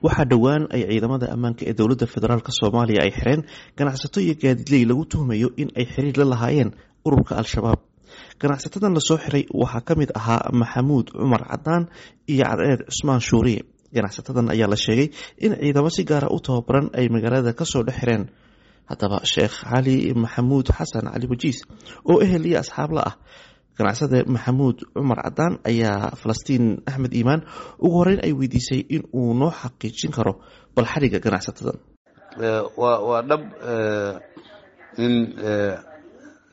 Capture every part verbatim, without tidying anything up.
Waxaa dhowaan ay ciidamada ammaanka ee dowladda federaalk Soomaaliya ay xireen ganacsato iyo gaadiidley lagu tuhmayo in ay xiriir la lahaayeen ururka Al-Shabaab. Ganacsatadan lasoo xiray waxaa ka mid ahaa Maxamuud Cumar Cadaan iyo Cadceed Cusmaan Shuuriye. Ganacsatadan ayaa la sheegay in ciidamo si gaara u tababaran ay magaalada kasoo dhex xireen. Haddaba, Sheekh Cali Maxamuud Xasan Cali Wajiis oo ehel iyo asxaab la ah ganacsade Maxamuud Cumar Cadaan ayaa Falastiin Axmed Iimaan ugu horeyn ay weydiisay in uu noo xaqiijin karo bal xariga ganacsatadan. waa waa dhab in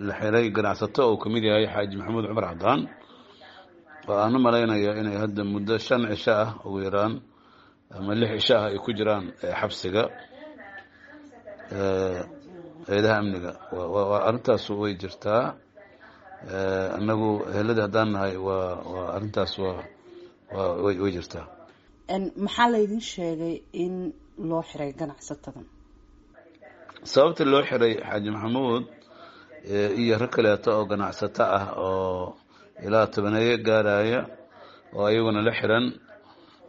la xiray ganacsato uu kamid yahay Xaaji Maxamuud Cumar Cadaan, oo aan u malaynaya inay hadda muddo shan cisho ah ugu yaraan ama lix cisho ah ay ku jiraan xabsiga eedaha amniga. Arrintaas way jirtaa. Annagu ehelada haddaan nahay, waa waa arrintaas waa waa way way jirtaa. Maxaa laydin sheegay in loo xiray ganacsatadan? Sababta loo xiray Xaaji Maxamuud iyo rag kaleeto oo ganacsato ah oo ilaa tobaneeyo gaaraya oo ayaguna la xiran,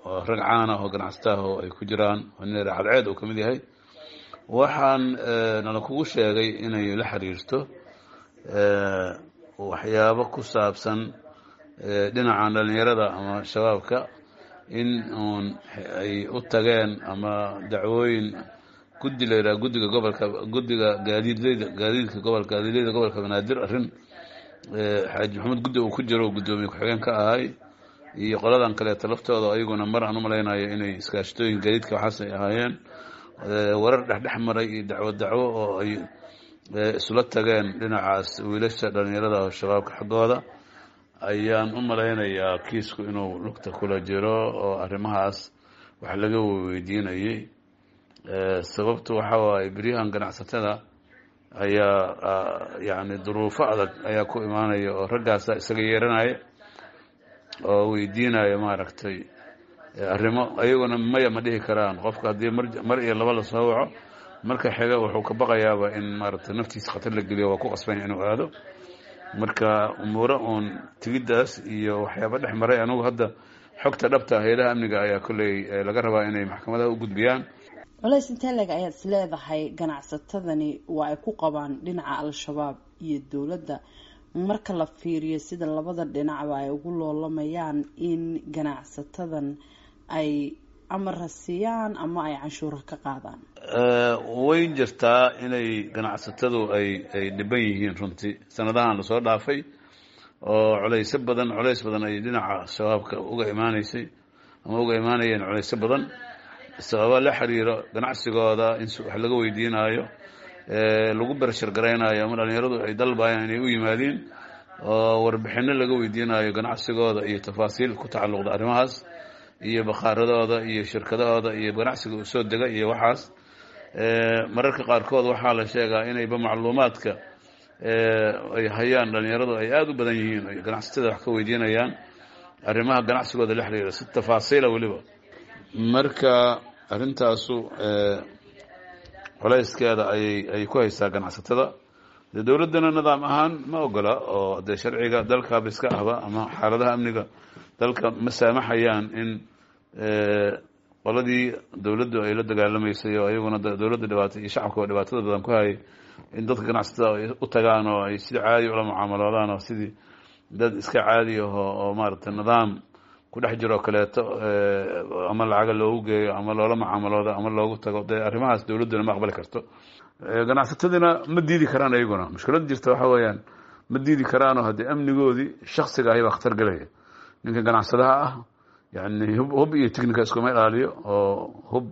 oo rag caana oo ganacsato ah oo ay ku jiraan oo nin Cadceed uu ka mid yahay, waxaan nala kugu sheegay inay la xiriirto waxyaabo ku saabsan dhinacan dhalinyarada ama shabaabka, in uun ay u tageen ama dacwooyin guddi la yidhaha guddiga gobolka, guddiga gaadiidleyda, gaadiidka gobolka, gaadiidleyda gobolka Banaadir, arrin Xaaji Maxamuud guddi uu ku jiro, guddoomiye ku-xigeen ka ahay, iyo qoladan kaleeto laftooda ayaguna mar aan u malaynayo inay iskaashatooyin gaadiidka waxaas ay ahaayeen, warar dhexdhex maray iyo dacwo dacwo oo ay isula tageen dhinacaas wiilasha dhalinyarada oo shabaabka xaggooda ayaan u malaynayaa kiisku inuu lugta kula jiro oo arrimahaas wax laga weydiinayay. Sababtu waxa waaye, beryahan ganacsatada ayaa yacni duruufo adag ayaa ku imaanaya oo raggaasa isaga yeeranaya oo weydiinaya maaragtay arrimo, ayaguna maya ma dhihi karaan. Qofka haddii mar mar iyo laba lasoo waco, marka xiga wuxuu ka baqayaaba in maaragtay naftiisa khatar la geliyo, waa ku qasbanya inuu aado. Marka umuuro uun tigiddaas iyo waxyaaba dhex maray, anugu hadda xogta dhabta hayadaha amniga ayaa kolley laga rabaa inay maxkamadaha u gudbiyaan. Culays intee leeg ayaad is leedahay ganacsatadani waa ay ku qabaan dhinaca Al-Shabaab iyo dowladda, marka la fiiriyo sida labada dhinacba ay ugu loolamayaan in ganacsatadan ay amara siiyaan ama ay canshuura ka qaadaan? Way jirtaa inay ganacsatadu ay ay dhiban yihiin runtii sanadahan lasoo dhaafay, oo culaysyo badan, culays badan ay dhinaca shabaabka uga imaaneysay ama uga imaanayeen, culaysyo badan sababa la xiriiro ganacsigooda in wax laga weydiinaayo, lagu bershar garaynayo, ama dhalinyaradu ay dalbayaan inay u yimaadiin oo warbixino laga weydiinayo ganacsigooda iyo tafaasiil ku tacalluqda arrimahaas iyo bakhaaradooda iyo shirkadahooda iyo ganacsiga usoo dega iyo waxaas. Mararka qaarkood waxaa la sheegaa inayba macluumaadka ay hayaan dhalinyaradu ay aada u badan yihiin, ay ganacsatada wax ka weydiinayaan arrimaha ganacsigooda la xiriira si tafaasiila weliba. Marka arrintaasu culayskeeda ayay ay ku haysaa ganacsatada. Dee dowladdana nidaam ahaan ma ogola, oo dee sharciga dalkaaba iska ahba ama xaaladaha amniga dalka ma saamaxayaan in qoladii dowladdu ay la dagaalamaysay oo ayaguna dowladda dhibaata iyo shacabka dhibaatada badan ku hayay in dadka ganacsatada ay u tagaan oo ay sidii caadi ula mucaamaloodaan, oo sidii dad iska caadi aho oo maaragtay nidaam ku dhex jiroo kaleeto ama lacaga loogu geeyo ama loola mucaamaloodo ama loogu tago. Dee arrimahaas dowladduna ma aqbali karto, ganacsatadina ma diidi karaan ayaguna. Mushkilada jirta waxa weeyaan, ma diidi karaanoo haddii amnigoodii shaksiga ahi baa khatar gelaya. Ninka ganacsadaha ah yani hub hub iyo technica iskuma ilaaliyo, oo hub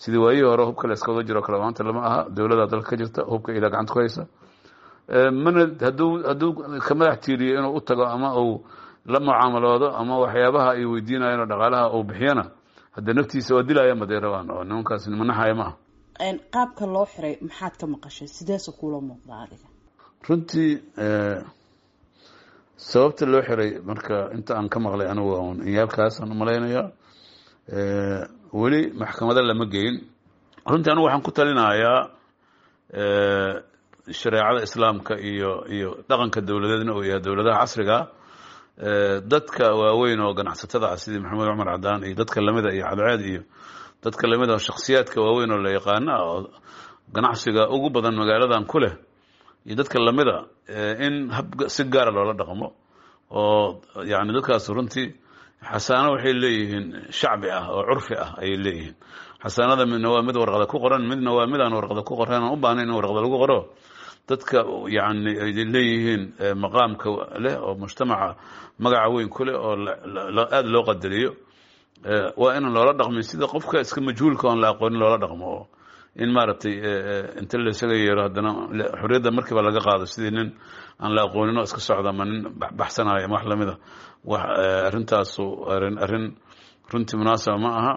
sidii waayihii hore hubka la iskaga jiro kale maanta lama aha. Dowladda dalka ka jirta hubka ilaa gacanta ku haysa, mana hadduu hadduu ka madax tiiriyo inuu u tago ama uu la mucaamaloodo ama waxyaabaha ay weydiinayeen oo dhaqaalaha uu bixiyana, haddee naftiisa waa dilaya maday rabaan, oo nimankaas nimanaxaya maaha. Qaabka loo xiray maxaad ka maqashay? Sideese kuula muuqda adiga? Runtii sababta loo xiray marka inta aan ka maqlay anigu un inyaalkaasaan umalaynayaa, weli maxkamada lama geyn. Runtii anigu waxaan ku talinayaa shareecada Islaamka iyo iyo dhaqanka dowladeedna uu yahay dowladaha casriga, dadka waaweyn oo ganacsatada ah sidii Maxamed Cumar Cadaan iyo dadka lamida iyo Cadceed iyo Dadka lamid ah, shakhsiyaadka waaweyn oo la yaqaano ah oo ganacsiga ugu badan magaaladan ku leh iyo dadka lamida, in hab si gaara loola dhaqmo oo yani dadkaas runtii xasaano waxay leeyihiin shacbi ah oo curfi ah ayay leeyihiin. Xasaanada midna waa mid warqada ku qoran, midna waa mid aan warqada ku qoran, aan u baahnayn in warqada lagu qoro. Dadka yani ay leeyihiin maqaamka leh oo mujtamaca magaca weyn ku leh oo aada loo qadariyo, waa inaan loola dhaqmin sida qofka iska majhuulka oon la aqoonin loola dhaqmo, oo in maaragtay inta laysaga yeero haddana xorriyadda markiiba laga qaado sidii nin aan la aqoonin oo iska socda ama nin baxsanayo ama wax lamida. Wax arrintaasu arrin arrin runtii munaasaba ma aha.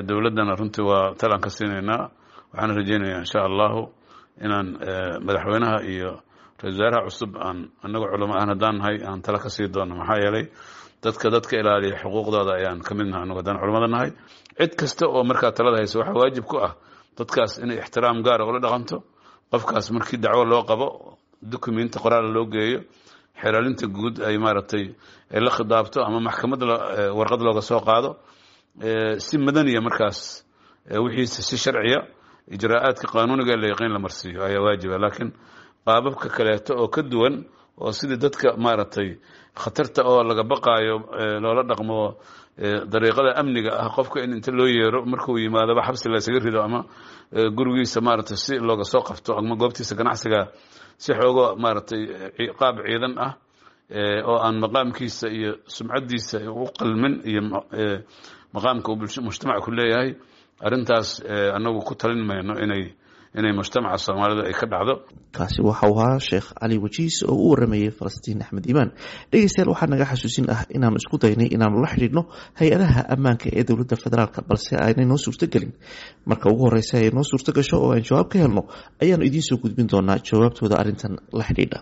Dowladdana runtii waa talaan ka siinaynaa. Waxaan rajeynayaa insha Allahu inaan madaxweynaha iyo ra-isul wasaaraha cusub aan anagu culamo aan haddaan nahay aan tala ka sii doono, maxaa yeelay dadka dadka ilaaliya xuquuqdooda ayaan ka mid nahay anagu haddaan culamada nahay. Cid kasta oo markaa talada haysa waxaa waajib ku ah dadkaas inay ixtiraam gaara ula dhaqanto. Qofkaas markii dacwo loo qabo, documenti qoraal loo geeyo, xeeraalinta guud ay maaragtay ay la khidaabto ama maxkamad warqad looga soo qaado, si madaniya markaas wixiisa si sharciya ijraa'aadka qaanuuniga la yaqiin la marsiiyo ayaa waajiba. Laakiin qaababka kaleeto oo ka duwan oo sidii dadka maaragtay khatarta oo laga baqaayo loola dhaqmo, dariiqada amniga ah qofka in inta loo yeero markuu yimaadaba xabsi la isaga rido ama gurigiisa maaragtay si looga soo qabto ama goobtiisa ganacsiga si xoogo maaragtay qaab ciidan ah oo aan maqaamkiisa iyo sumcaddiisa u qalmin iyo maqaamka uu mujtamac ku leeyahay, arrintaas anagu ku talin mayno inay inay mujtamaca Soomaalida ay ka dhacdo. Kaasi waxau ahaa Sheekh Cali Wajiis oo u waramayey Falastiin Axmed Iimaan. Dhegeystayaal, waxaa naga xasuusin ah inaanu isku daynay inaanu la xidhiidhno hay-adaha ammaanka ee dowladda federaalk, balse aanay noo suurtogelin. Marka ugu horeysa ay noo suurto gasho oo aan jawaab ka helno ayaanu idiin soo gudbin doonaa jawaabtooda arrintan la xidhiidha.